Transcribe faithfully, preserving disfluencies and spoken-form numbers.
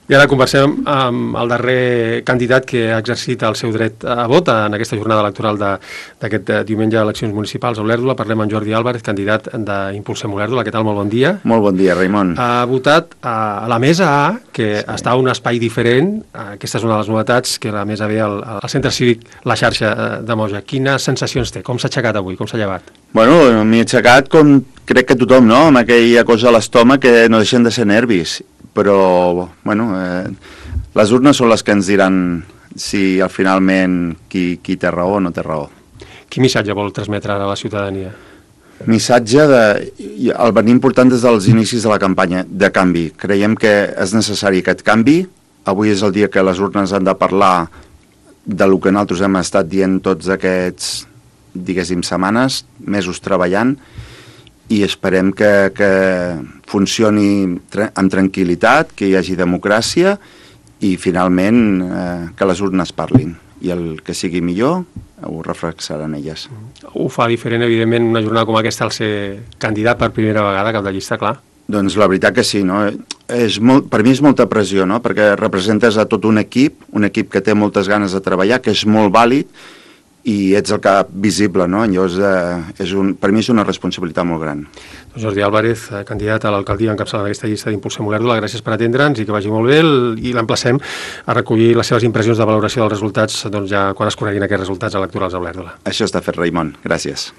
I ara conversem amb el darrer candidat que ha exercit el seu dret a vot en aquesta jornada electoral d'aquest diumenge a eleccions municipals a Olèrdola. Parlem amb Jordi Álvarez, candidat d'Impulsem Olèrdola. Què tal? Molt bon dia. Molt bon dia, Raimon. Ha votat a la Mesa A, que sí. està a un espai diferent. Aquesta és una de les novetats, que la Mesa B al, al Centre Cívic La Xarxa de Moja. Quines sensacions té? Com s'ha aixecat avui? Com s'ha llevat? Bueno, m'he aixecat com crec que tothom, no? Amb aquella cosa a l'estómac que no deixen de ser nervis. Però, bueno, eh, les urnes són les que ens diran si al finalment qui, qui té raó o no té raó. Quin missatge vol transmetre ara a la ciutadania? Missatge de... El venir important des dels inicis de la campanya, de canvi. Creiem que és necessari aquest canvi. Avui és el dia que les urnes han de parlar de lo que nosaltres hem estat dient tots aquests, diguéssim, setmanes, mesos treballant, i esperem que, que funcioni tra amb tranquil·litat, que hi hagi democràcia i finalment eh, que les urnes parlin. I el que sigui millor ho reflexaran elles. Ho fa diferent, evidentment, una jornada com aquesta al ser candidat per primera vegada cap de llista, clar. Doncs la veritat que sí, no? És molt, per mi és molta pressió, no? Perquè representes a tot un equip, un equip que té moltes ganes de treballar, que és molt vàlid, i ets el cap visible, no? Llavors, eh, és un, per mi és una responsabilitat molt gran. Jordi Álvarez, candidat a l'alcaldia encapçalant aquesta llista d'Impulsem Olèrdola, gràcies per atendre'ns i que vagi molt bé, i l'emplacem a recollir les seves impressions de valoració dels resultats doncs ja quan es coneguin aquests resultats electorals a Olèrdola. Això està fet, Raimon. Gràcies.